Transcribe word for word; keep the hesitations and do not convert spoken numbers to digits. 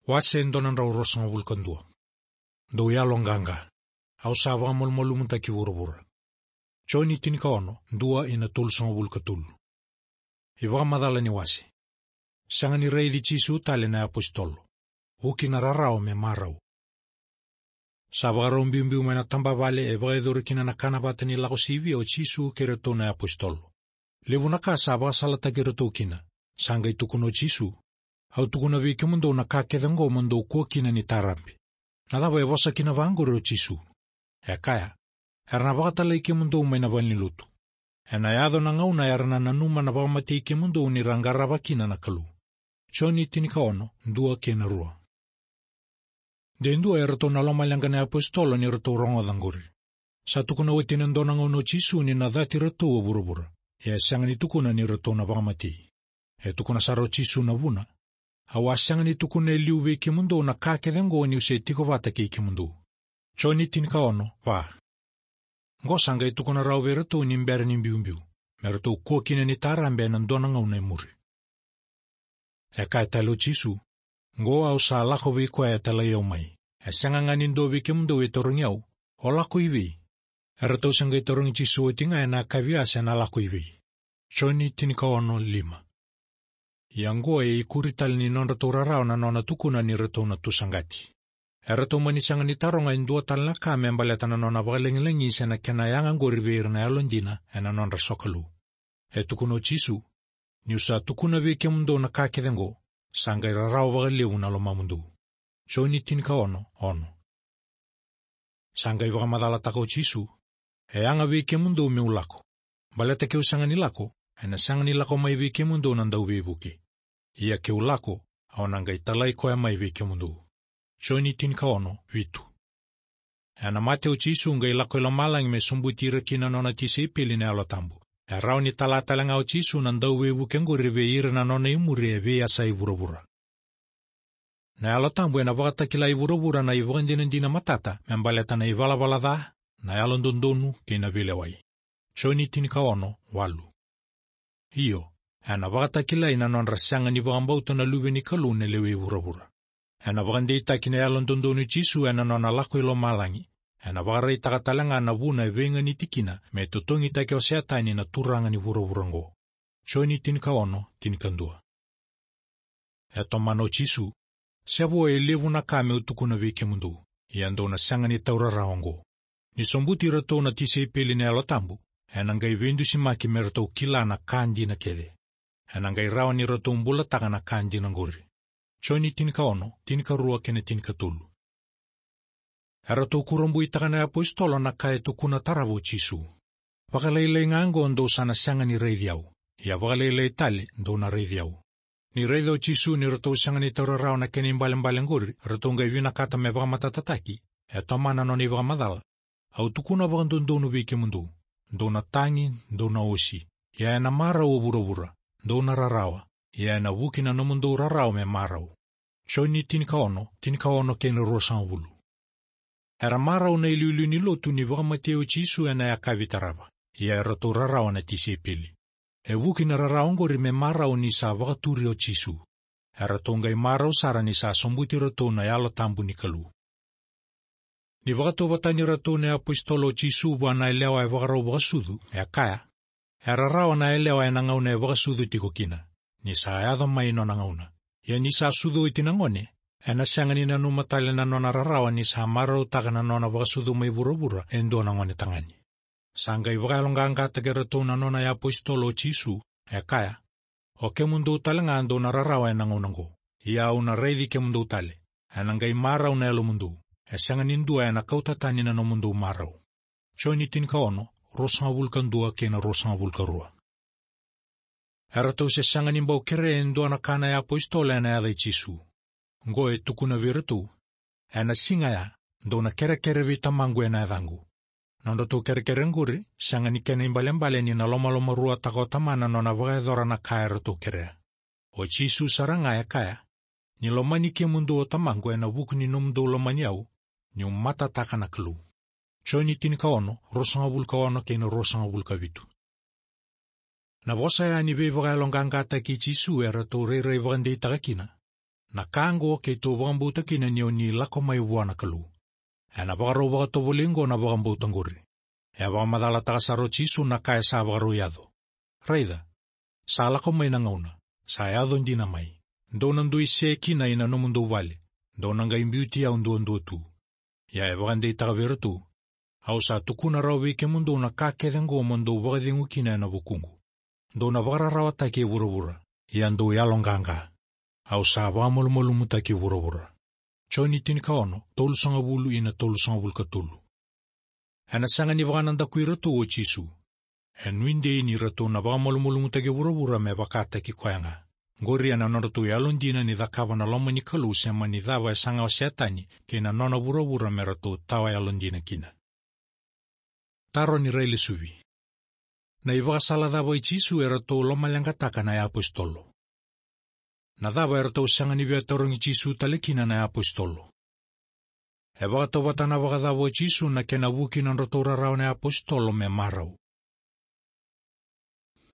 Wase e dua na drau ruasagavulu ka dua. Dou yaloqaqa. Au sa vakamalumalumutaki vuravura. Joni tinikaono, dua ina tolusagavulu ka tolu. iVakamacala ni wase. Sega ni raici Jisu tale na iapositolo. Vuki na rarawa me marau. Sa vakarau biubiu mai na tabavale e vakayacori kina na kana vata ni Lako Sivia o Jisu kei iratou na iapositolo. Levu na ka sa vakasalataki iratou kina. Sa qai tukuna o Jisu: "Au tukuna vei kemudou na ka kece oqo mo dou kua kina ni tarabe." Na cava e vosa kina vaqori o Jisu? E kaya: "Era na vakatalai kemudou mai na valenilotu. Ena yaco na gauna era na nanuma na vakamatei kemudou ni ra qarava kina na Kalou." Joni tinikaono, dua kei na rua. De dua eratou na lomaleqa na iapositolo ni ratou rogoca qori. Sa tukuna oti ena dua na gauna o Jisu ni na cati iratou o vuravura. Ia e sega ni tukuna ni ratou na vakamatei. E tukuna sara o Jisu na vuna: "Au a sega ni tukuna e liu vei kemudou na ka kece oqo niu se tiko vata kei kemudou." Joni tinikaono, va. Qo sa qai tukuna rawa vei iratou ni bera ni biubiu, me ratou kua kina ni tarabe ena dua na gauna e muri. E kaya tale o Jisu: "Qo au sa lako vei koya e talai au mai. E sega ga ni dua vei kemudou e tarogi au: 'O lako i vei?'" Eratou se qai tarogi Jisu oti ga ena kavia se na lako i vei. Joni tinikaono, lima. Ia qo e ikuri tale ni nodratou rarawa na nona tukuna ni ratou na tu saqati. Eratou mani sega ni taroga e dua tale na ka me baleta na nona vakalagilagi se na kena yaga qori vei ira na yalodina ena nodra sokalou. E tukuna o Jisu: "Niu sa tukuna vei kemudou na ka kece oqo, sa qai rarawa vakalevu na lomamudou." Joni tinikaono, ono. Sa qai vakamacalataka o Jisu: "E yaga vei kemudou meu lako. Baleta keu sega ni lako, ena sega ni lako mai vei kemudou na Dauveivuke. Ia keu lako, au na qai talai koya mai vei kemudou." Joni tinikaono, vitu. Ena mate o Jisu qai lako i lomalagi me sobuti ira kina nona tisaipeli na Yalo Tabu. E rawa ni tala tale ga o Jisu na Dauveivuke qori vei ira na nona imuri e veiyasai vuravura. Na Yalo Tabu ena vakatakila i vuravura na ivakadinadina matata me baleta na ivalavala ca, na yalododonu kei na veilewai. Joni tinikaono, walu. Io, ena vakatakilai na nodra sega ni vakabauta na Luve ni Kalou na lewe i vuravura. Ena vakadeitaki na yalododonu i Jisu ena nona lako i lomalagi. Ena vakaraitaka tale ga na vuna e veiganiti kina me totogitaki o Setani na turaga ni vuravura oqo. Joni tinikaono, tinikadua. E tomana o Jisu: "Se vo e levu na ka meu tukuna vei kemudou, ia dou na sega ni taura rawa oqo. Ni sobuti iratou na tisaipeli na Yalo Tabu, ena qai veidusimaki me ratou kila na ka dina kece. Ena qai rawa ni ratou bulataka na ka dina qori." Joni tinikaono, tinikarua kei na tinikatolu. Eratou kurabuitaka na iapositolo na ka e tukuna tarava o Jisu: "Vakalailai ga oqo dou sa na sega ni raici au, ia vakalailai tale dou na raici au." Ni raica o Jisu ni ratou sega ni taura rawa na kena ibalebale qori, ratou qai vinakata me vakamatatataki. E tomana nona ivakamacala: "Au tukuna vakadodonu vei kemudou, dou na tagi, dou na osi, ia ena marau o vuravura. Dou na rarawa, ia ena vuki na nomudou rarawa me marau." Joni tinikaono, tinikaono kei na ruasagavulu. Era marau na iliuliu ni lotu ni vakamatei o Jisu ena yakavi tarava, ia eratou rarawa na tisaipeli. E vuki na rarawa oqori me marau ni sa vakaturi o Jisu. Eratou qai marau sara ni sa sobuti iratou na Yalo Tabu ni Kalou. Ni vakatauvatani iratou na iapositolo o Jisu vua na yalewa e vakarau vakasucu, e kaya: "E rarawa na yalewa ena gauna e vakasucu tiko kina, ni sa yaco mai nona gauna. Ia ni sa sucu oti na gone, ena sega ni nanuma tale na nona rarawa ni sa marautaka na nona vakasucu mai vuravura e dua na gone tagane." Sa qai vakayaloqaqataki iratou na nona iapositolo o Jisu, e kaya: "O kemudou tale ga dou na rarawa ena gauna oqo, ia au na raici kemudou tale. Ena qai marau na yalomudou. E sega ni dua ena kauta tani na nomudou marau." Joni tinikaono, ruasagavulu ka dua kei na ruasagavulu ka rua. Eratou se sega ni bau kerea e dua na ka na iapositolo ena yaca i Jisu. Qo e tukuna vei iratou: "Ena siga ya, dou na kerekere vei Tamaqu ena yacaqu." Nodratou kerekere qori, sega ni kena ibalebale ni na lomalomaruataka o Tamana nona vakayacora na ka eratou kerea. O Jisu sara ga e kaya: "Ni lomani kemudou o Tamaqu ena vuku ni nomudou lomani au, niu matataka na Kalou." Joni tinikaono, ruasagavulu ka ono kei na ruasagavulu ka vitu. Na vosa ya ni veivakayaloqaqataki i Jisu eratou rairai vakadeitaka kina. Na ka oqo keitou vakabauta kina ni o ni lako mai vua na Kalou. Ena vakarau vakatovolei oqo na vakabauta oqori. E vakamacalataka sara o Jisu na ka e sa vakarau yaco. Raica, sa lako mai na gauna, sa yaco dina mai. Dou na dui se kina ina nomudou vale, dou na qai biuti au duadua tu. Ia e vakadeitaka vei iratou, au sa tukuna rawa vei kemudou na ka kece oqo mo dou vakacegu kina ena vukuqu. Dou na vakararawataki e vuravura, ia dou yaloqaqa. Au sa vakamalumalumutaki vuravura. Joni tinikaono, tolusagavulu ina tolusagavulu ka tolu. Ena sega ni vakanadaku iratou o Jisu. E nuidei ni ratou na vakamalumalumutaki vuravura me vakataki koya ga. Qori ena nodratou yalodina ni cakava na loma ni Kalou se mani cava e saga o Setani kei na nona vuravura me ratou tawa yalodina kina. Taro ni railesuvi. Na ivakasala cava i Jisu e ratou lomaleqataka na iapositolo? Na cava e ratou sega ni via tarogi Jisu tale kina na iapositolo? E vakatautauvatataka vakacava o Jisu na kena vuki na nodratou rarawa na iapositolo me marau?